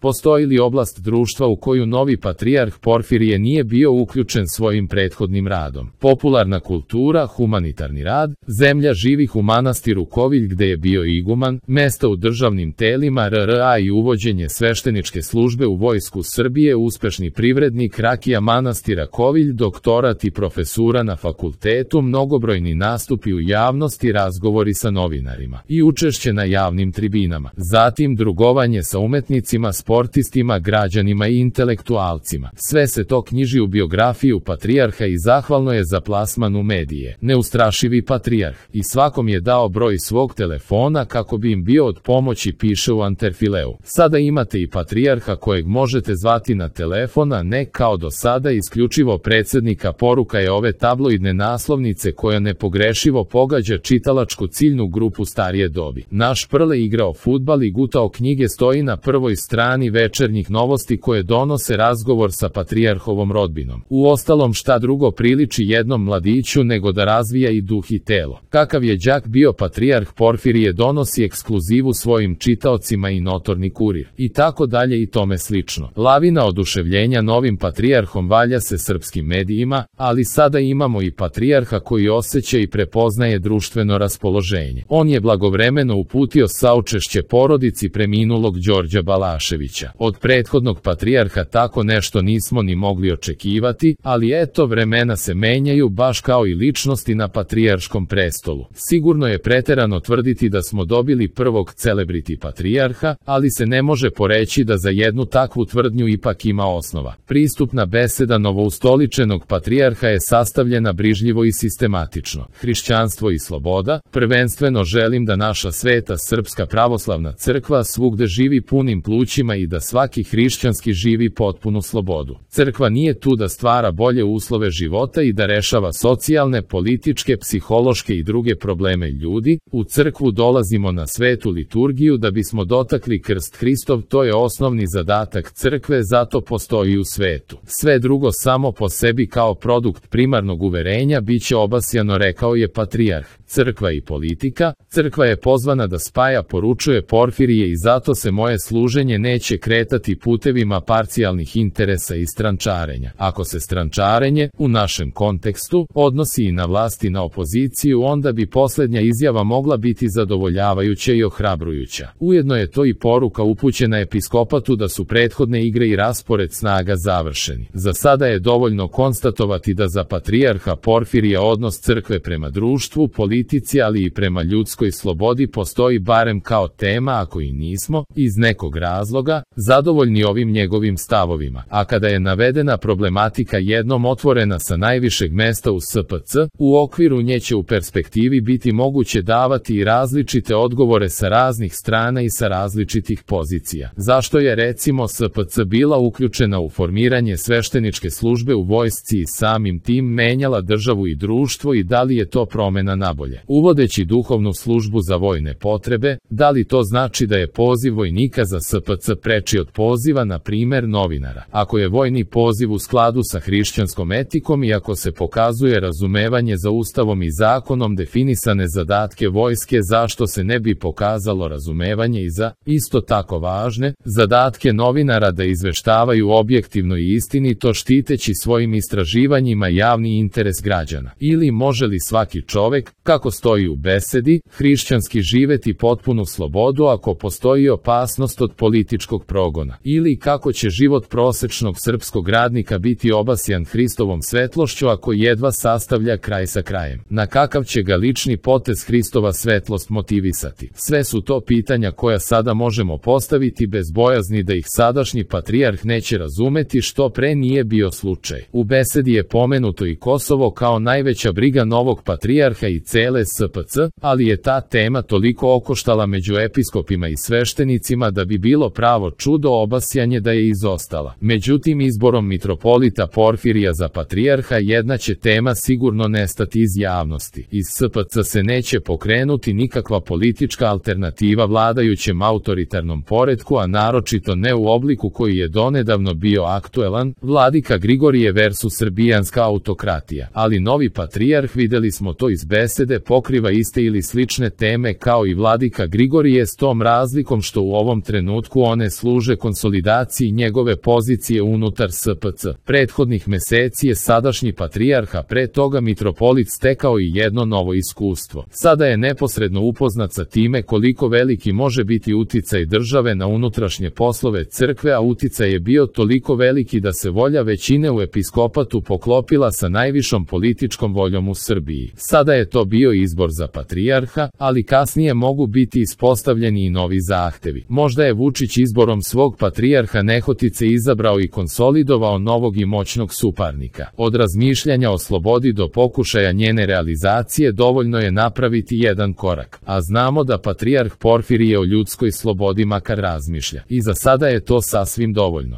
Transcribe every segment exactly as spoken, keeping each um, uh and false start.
Postoji li oblast društva u koju novi patrijarh Porfirije nije bio uključen svojim prethodnim radom? Popularna kultura, humanitarni rad, zemlja živih u manastiru Kovilj gde je bio iguman, mesta u državnim telima R R A i uvođenje svešteničke službe u Vojsku Srbije, uspešni privrednik, rakija manastira Kovilj, doktorat i profesura na fakultetu, mnogobrojni nastupi u javnosti, razgovori sa novinarima i učešće na javnim tribinama. Zatim drugovanje sa umetnicima, sportistima, građanima i intelektualcima. Sve se to knjiži u biografiju patrijarha i zahvalno je za plasman u medije. Neustrašivi patrijarh i svakom je dao broj svog telefona kako bi im bio od pomoći, piše u Anterfileu. Sada imate i patrijarha kojeg možete zvati na telefon, a ne kao do sada isključivo predsjednika. Poruka je ove tabloidne naslovnice koja nepogrešivo pogađa čitalačku ciljnu grupu starije dobi. Naš Prle igrao fudbal i gutao knjige stoji na prvoj strani večernjih novosti koje donose razgovor sa patrijarhovom rodbinom. Uostalom, šta drugo priliči jednom mladiću nego da razvija i duh i telo. Kakav je đak bio patrijarh Porfirije donosi ekskluzivu svojim čitaocima i Notorni kurir. I tako dalje i tome slično. Lavina oduševljenja novim patrijarhom valja se srpskim medijima, ali sada imamo i patrijarha koji osjeća i prepoznaje društveno raspoloženje. On je blagovremeno uputio saučešće porodici preminulog Đorđa Balaševića. Od prethodnog patrijarha tako nešto nismo ni mogli očekivati, ali eto, vremena se menjaju baš kao i ličnosti na patrijarškom prestolu. Sigurno je preterano tvrditi da smo dobili prvog celebrity patrijarha, ali se ne može poreći da za jednu takvu tvrdnju ipak ima osnova. Pristupna beseda novoustoličenog patrijarha je sastavljena brižljivo i sistematično. Hrišćanstvo i sloboda, prvenstveno želim da naša sveta Srpska pravoslavna crkva svugde živi punim plućima i da svaki hrišćanski živi potpunu slobodu. Crkva nije tu da stvara bolje uslove života i da rešava socijalne, političke, psihološke i druge probleme ljudi. U crkvu dolazimo na svetu liturgiju da bismo dotakli krst Hristov, to je osnovni zadatak crkve, zato postoji u svetu. Sve drugo samo po sebi kao produkt primarnog uverenja biće obasjano, rekao je patrijarh. Crkva i politika, crkva je pozvana da spaja, poručuje Porfirije, i zato se moje služenje neće kretati putevima parcijalnih interesa i strančarenja. Ako se strančarenje, u našem kontekstu, odnosi i na vlast i na opoziciju, onda bi posljednja izjava mogla biti zadovoljavajuća i ohrabrujuća. Ujedno je to i poruka upućena episkopatu da su prethodne igre i raspored snaga završeni. Za sada je dovoljno konstatovati da za patrijarha Porfirija odnos crkve prema društvu, politici, ali i prema ljudskoj slobodi postoji barem kao tema, ako i nismo, iz nekog razloga, zadovoljni ovim njegovim stavovima. A kada je navedena problematika jednom otvorena sa najvišeg mesta u S P C, u okviru nje će u perspektivi biti moguće davati i različite odgovore sa raznih strana i sa različitih pozicija. Zašto je recimo S P C bila uključena u formiranje svešteničke službe u vojsci i samim tim menjala državu i društvo, i da li je to promena nabolje? Uvodeći duhovnu službu za vojne potrebe, da li to znači da je poziv vojnika za S P C preči od poziva, na primer, novinara? Ako je vojni poziv u skladu sa hrišćanskom etikom i ako se pokazuje razumevanje za ustavom i zakonom definisane zadatke vojske, zašto se ne bi pokazalo razumevanje i za, isto tako važne, zadatke novinara da izveštavaju objektivno i istinito, štiteći svojim istraživanjima javni interes građana? Ili može li svaki čovek, kako stoji u besedi, hrišćanski živeti potpunu slobodu ako postoji opasnost od političkog progona? Ili kako će život prosečnog srpskog radnika biti obasjan Hristovom svetlošću ako jedva sastavlja kraj sa krajem? Na kakav će ga lični potez Hristova svetlost motivisati? Sve su to pitanja koja sada možemo postaviti bez bojazni da ih sadašnji patrijarh neće razumeti, što pre nije bio slučaj. U besedi je pomenuto i Kosovo kao najveća briga novog patrijarha i cele S P C, ali je ta tema toliko okoštala među episkopima i sveštenicima da bi bilo pravo čudo obasjanje da je izostala. Međutim, izborom mitropolita Porfirija za patrijarha jedna će tema sigurno nestati iz javnosti. Iz S P C se neće pokrenuti nikakva politička alternativa vladajućem autoritarnom poretku, a naročito ne u obliku koji je donedavno bio aktuelan, vladika Grigorije versus srbijanska autokratija. Ali novi patrijarh, videli smo to iz besede, pokriva iste ili slične teme kao i vladika Grigorije, s tom razlikom što u ovom trenutku one služe konsolidaciji njegove pozicije unutar S P C. Prethodnih meseci je sadašnji patrijarh, a pre toga mitropolit, stekao i jedno novo iskustvo. Sada je neposredno upoznat sa time koliko veliki može biti uticaj države na unutrašnje poslove crkve, a uticaj je bio toliko veliki da se volja većine u episkopatu poklopila sa najvišom političkom voljom u Srbiji. Sada je to bio izbor za patrijarha, ali kasnije mogu biti ispostavljeni i novi zahtevi. Možda je Vučić izborom svog patrijarha nehotice izabrao i konsolidovao novog i moćnog suparnika. Od razmišljanja o slobodi do pokušaja njene realizacije dovoljno je napraviti jedan korak, a znamo da patrijarh Porfirije o ljudskoj slobodi makar razmišlja. I za sada je to sasvim dovoljno.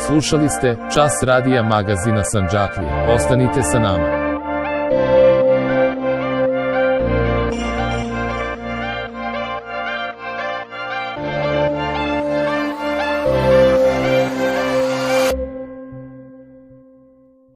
Slušali ste Čas radija magazina Sandžaklije. Ostanite sa nama.